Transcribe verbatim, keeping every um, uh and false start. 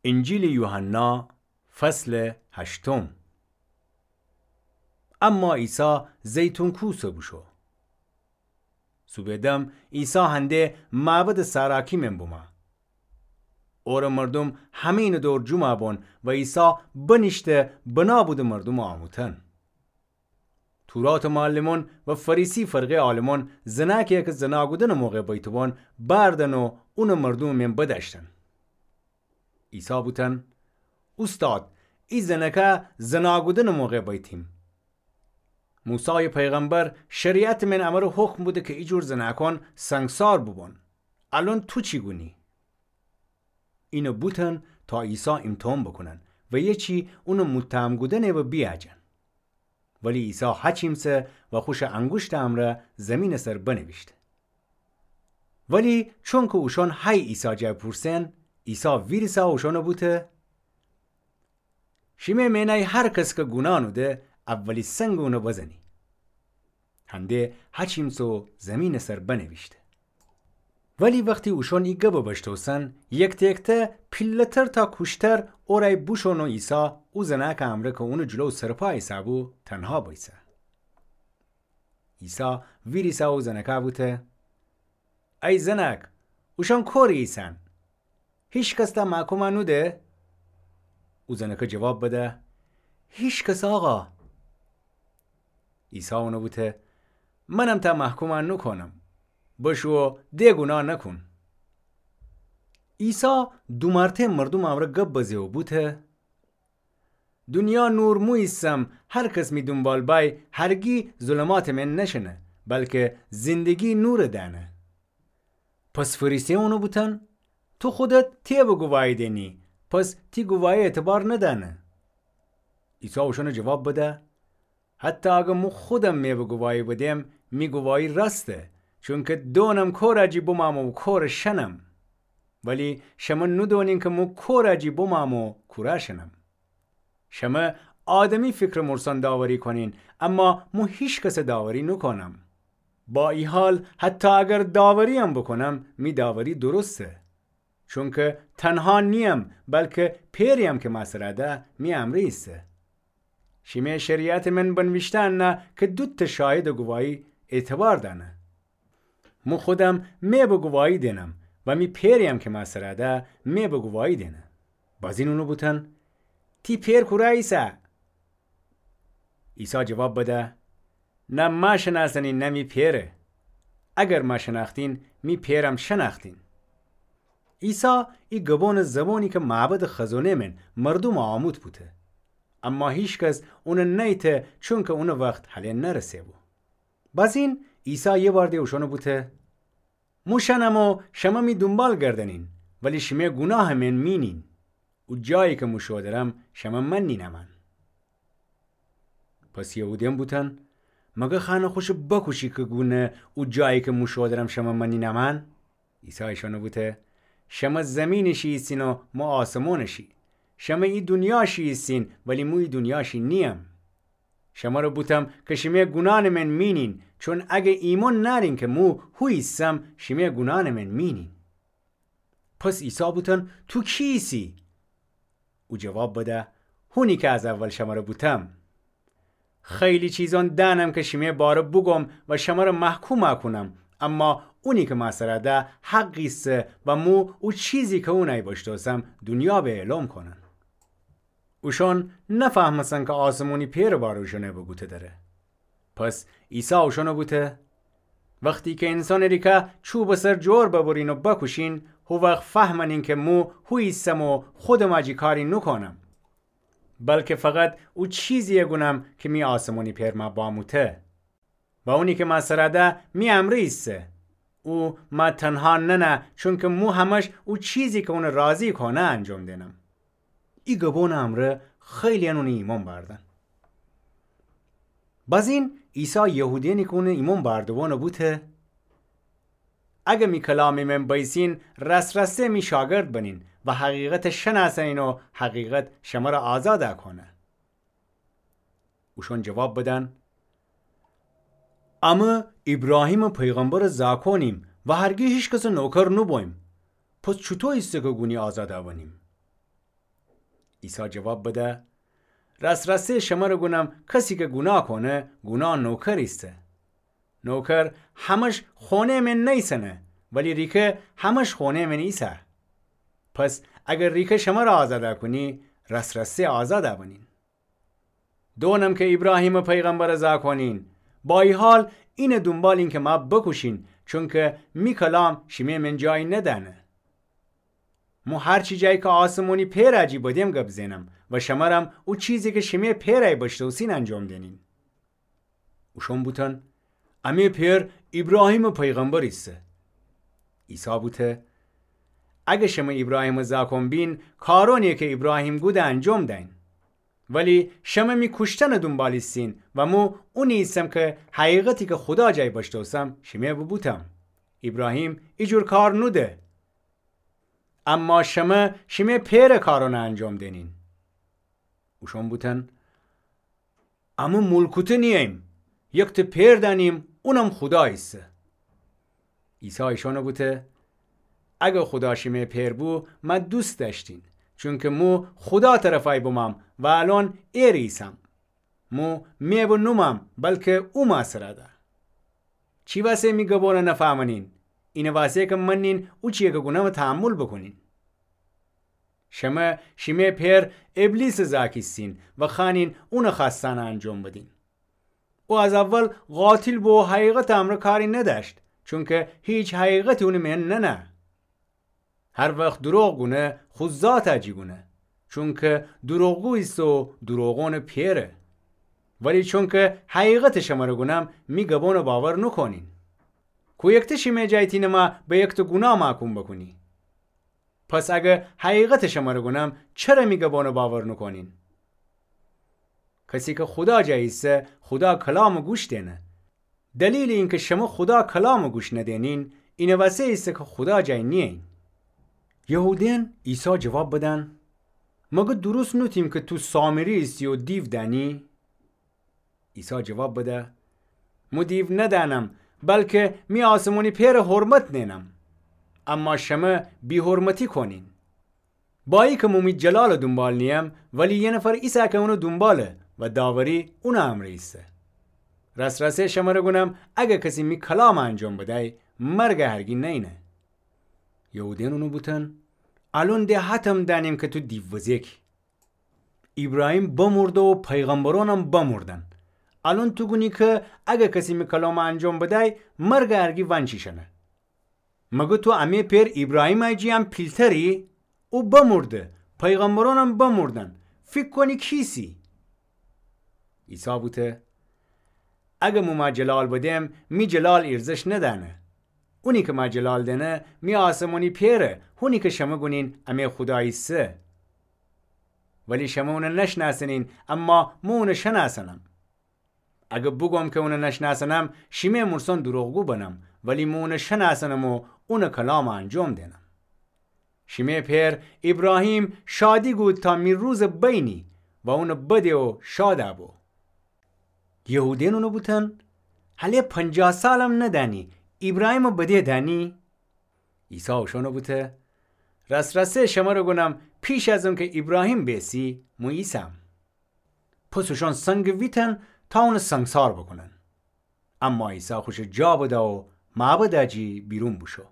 انجیلٚ یوحنا، فصلٚ هشتم. اما عیسی زیتون کوسَ بوشو. صوبٚ دم عیسی هنده معبدٚ ساراکی مئن بومه. اورٚ مردوم همه‌یینٚ دور جومَ بون و عیسی بنیشته بنا بودٚ مردومَ آموتن. توراتٚ معلمون و فریسی فرقه‌یٚ عالمون زنأکیی کی زنا کودنٚ موقع بیته بون بأردن و اونٚ مردومٚ مئن بدأشتن. عیسی بوتن: اوستاد، ای زنأکه زنا کودنٚ موقع بیتیم. موسایٚ پیغمبر شریعتٚ مئن امر و حکم بوده کی ایجور زنأکون سنگسار بوبون. الأن تو چی گونی؟ اینَ بوتن تا عیسی ایمتحان بوکونن و یه چی اونٚ متهم کودنٚ و بیأجن. ولی عیسی هچیمسه و خوشٚ انگوشتٚ امرأ زیمینٚ سر بنیویشته. ولی چونکی اوشأن هی عیسی جا بوپورسن، عیسی ویریسه اوشأنَ بوته: شیمه مئنه‌یی هر کس کی گونا نوده، اولی سنگ اونَ بزنی. هنده هچیمسه و زیمینٚ سر بنیویشته. ولی وختی اوشأن ای گبَ بشتوسن، یکته یکته پیله‌تر تا کوشتر اورأی بوشون و عیسی او زنأکٚ امرأ کی اونٚ جلو سرپا ایسه‌بو، تنها بیسه. عیسی ویریسه او زنأکَ بوته: ای زنأک، اوشأن کوری ایسن؟ هیکس تأ محکوم نوده؟ او زنأکَ جواب بده: هیکس، آقا. عیسی اونَ بوته: منم تأ محکوم نوکونم. بشو و د گونا نوکون. عیسی دو مرتأ مردومٚ امرأ گب بزه و بوته: دونیا نور مو ایسم، هر کس می دونبال بأی هرگی ظلماتٚ مئن نشنه، بلکی زندگی نورَ دأنه. پس فریسیأن اونَ بوتن: تو خودت تیبٚ گواهی دینی، پس تی گواهی اعتبار ندأنه. عیسی اوشأنَ جواب بده: حتی اگر مو خودم میبٚ گواهی بدم، می گواهی راسته، چونکی دونم کورَ جی بمأم و کورَ شنم. ولی شمه نودونین کی مو کورَ جی بمأم و کورَ شنم. شمه آدمی فکرٚ مورسان داوری کونین، اما مو هیکسَ داوری نوکونم. با ای حال، حتی اگر داورییم بوکونم، می داوری درسته. چونکی تنها نییم، بلکی پئریم کی مأسرَ ده می امرأ ایسه. شیمه شریعتٚ مئن بنویشته انه کی دوتأ شاهدٚ گواهی اعتبار دأنه. مو خودم میبٚ گواهی دینم و می پئریم کی مأسرَ ده میبٚ گواهی دینه. بازین اونَ بوتن: تی پئر کورَ ایسه؟ عیسی جواب بده: نه مه شنأسنین نه می پئرَ. اگر مه شنأختین، می پئرم شنأختین. عیسی ای گبونٚ زبونی کی معبدٚ خزونه مئن مردومَ آموت بوته. اما هیکس اونَ نیته، چونکی اونٚ وخت هله نرسه‌بو. بازین عیسی یه بار د اوشأنَ بوته: مو شنم و شمه می دونبال گردنین، ولی شیمه گوناهٚ مئن مینین. او جایی کی مو شودرم شمه مننین امأن. پس یهودیأن بوتن: مگر خأنه خوشَ بکوشی کی گونه او جایی کی مو شودرم شمه مننین امأن؟ عیسی ایشأنَ بوته: شمه زیمینٚ شی ایسین و مو آسمونٚ شی. شمه ای دونیا شی ایسین، ولی مو ای دونیا شی نییم. شمرَ بوتم کی شیمه گونأنٚ مئن مینین، چون اگر ایمأن نأرین کی مو هو ایسم، شیمه گونأنٚ مئن مینین. پس عیسی بوتن: تو کی ایسی؟ او جواب بده: هونی کی از اول شمرَ بوتم. خیلی چیزأن دأنم کی شیمه باره بوگوم و شمرَ محکوم کونم، اما اونی کی مأسرَ ده حق ایسه و مو او چیزی کی اونأی بشتوسم دونیا به اعلام کونم. اوشأن نفهمستن کی آسمونی پئرٚ باره اوشأنَ بوگوته دره. پس عیسی اوشأنَ بوته: وختی کی اینسانٚ ریکه چوبٚ سر جؤر ببرین و بکوشین، هو وخت فهمنین کی مو هو ایسم و خودم جی کاری نوکونم، بلکی فقط او چیزیی گونم کی می آسمونی پئر مه باموته. و اونی کی مأسرَ ده می امرأ ایسه، او مه تنها ننه، چونکی مو همش او چیزی کی اونَ راضی کونه انجام دینم. ای گبونٚ امرأ خیلی‌یأن اونَ ایمأن بأردن. بازین عیسی یهودیأنی کی اونَ ایمأن بأرده‌بو بوته: اگر می کلامی مئن بأیسین، راست‌راسته می شاگرد بنین و حقیقتَ شنأسنین و حقیقت شمرَ آزاد کونه. اوشأن جواب بدن: امه ایبراهیمٚ پیغمبرٚ زأکونیم و هرگی هیکسٚ نوکر نوبوییم. پس چوطو ایسه کی گونی آزاد بنیم؟ عیسی جواب بده: راس‌راسی شمره گونم، کسی کی گوناه کونه، گوناه نوکر ایسه. نوکر همه‌ش خونه‌یٚ مئن نیسنه، ولی ریکه همه‌ش خونه‌یٚ مئن ایسه. پس اگر ریکه شمره آزاده کونی، راس‌راسی آزاده بنین. دونم کی ایبراهیمٚ پیغمبر زاکونین، با ای حال اینه دونبالین کی مه بوکوشین، چونکی می کلام شیمه‌یٚ مئن جایی ندأنه. مو هر چی جایی کی آسمونی پئرٚ جی بدم گب زئنم و شمرم او چیزی کی شیمه‌یٚ پئرٚ بشتوسین انجام دئنین. اوشون بوتن: امه‌یٚ پئر ایبراهیمٚ پیغمبر ایسه. عیسی بوته: اگر شمه ایبراهیمٚ زاکون بین، کارونی کی ایبراهیم گوده انجام دأین. ولی شمه می کوشتنٚ دونبال ایسین و مو اونی ایسم کی حقیقتی کی خودا جایی بشتوسم شیمه بوبوتم. ایبراهیم ایجور کار نوده. اما شمه شیمه‌یٚ پئرٚ کارون انجام دئنین. اوشون بوتن: امه ملکوته نییم، یکته پئر دأنیم، اونم خودا ایسه. عیسی ایشون بوته: اگر خودا شیمه‌یٚ پئر بو، مه دوست دأشتین، چونکی مو خودا طرفأی بمم و الأن ائره ایسم. مو مئو نومم، بلکی او مه سر ده. چی وسه می گبون نفهمنین؟ اینٚ وسه کی منین او چیی کی گونم تحمل بوکونین. شمه شیمه‌یٚ پئر ابلیسٚ زاک ایسین و خوأنین اونٚ خوأستأن انجام بدین. او از اول قاتل بو و حقیقتٚ امرأ کاری ندأشت، چونکی هیچ حقیقتی اونٚ مئن ننه. هر وخت دروغ گونه، خو ذاتٚ جی گونه، چونکی دروغگو ایسه و دروغونٚ پئره. ولی چونکی حقیقتٚ شمره گونم، می گبون باور نوکونین. کویکته شیمه‌یٚ جایی تینه مه به یکته گوناه محکوم بوکونی؟ پس اگر حقیقتٚ شمره گونم، چره می گبون باور نوکونین؟ کسی کی خودا جایی ایسه، خودا کلامٚ گوش دئنه. دلیلٚ اینکی شمه خودا کلامٚ گوش ندئنین، اینٚ وسه ایسه کی خودا جایی نیین. یهودین عیسی جواب بدن: مگر درست نوتیم کی تو سامری ایسی و دیو دأنی؟ عیسی جواب بده: مو دیو ندأنم، بلکی می آسمونی پئرٚ حرمت نئنم. اما شمه بی‌حرمتی کونین. با ایکی مو می جلالٚ دونبال نییم، ولی یه نفر ایسه کی اونٚ دونباله و داوری اونٚ امرأ ایسه. راس‌راسی شمره گونم، اگر کسی می کلامٚ انجام بدأی، مرگٚ هرگی نئینه. یهودین اونٚ بوتن: الأن ده حتم دأنیم کی تو دیووزیکی. ایبراهیم بمرده و پیغمبرونم بمردن. الأن تو گونی کی اگر کسی می کلامٚ انجام بدأی، مرگٚ هرگی ونچیشنه. مگر تو امه‌یٚ پئر ایبراهیمٚ جی هم پیلتری؟ او بمرده، پیغمبرونم بمردن. فیکر کونی کیسی؟ عیسی بوته: اگر مو مه جلال بدم، می جلال ایرزش ندأنه. اونی کی مه جلال دأنه، می آسمونی پئره، هونی کی شمه گونین امه‌یٚ خودا ایسه. ولی شمه اونه نشنأسنین، اما مو اونه شنأسنم. اگر بوگوم کی اونه نشنأسنم، شیمه‌یٚ مورسون دروغگو بنم، ولی مو اونه شنأسنم و اونٚ کلامٚ انجام دئنم. شیمه‌یٚ پئر ایبراهیم شادی گود تا می روزٚ بینی و اونٚ بده و شاد بو. یهودین اونٚ بوتن: هله پنجاه سالم ندأنی، ایبراهیمٚ بده دأنی؟ عیسی اوشأنٚ بوته: راس‌راسه شمره گونم، پیش از اونکی ایبراهیم بیسی، مو ایسم. پس اوشأن سنگ ویتن تا اونٚ سنگسار بوکونن. اما عیسی خوشٚ جا بده و معبدٚ جی بیرون بوشو.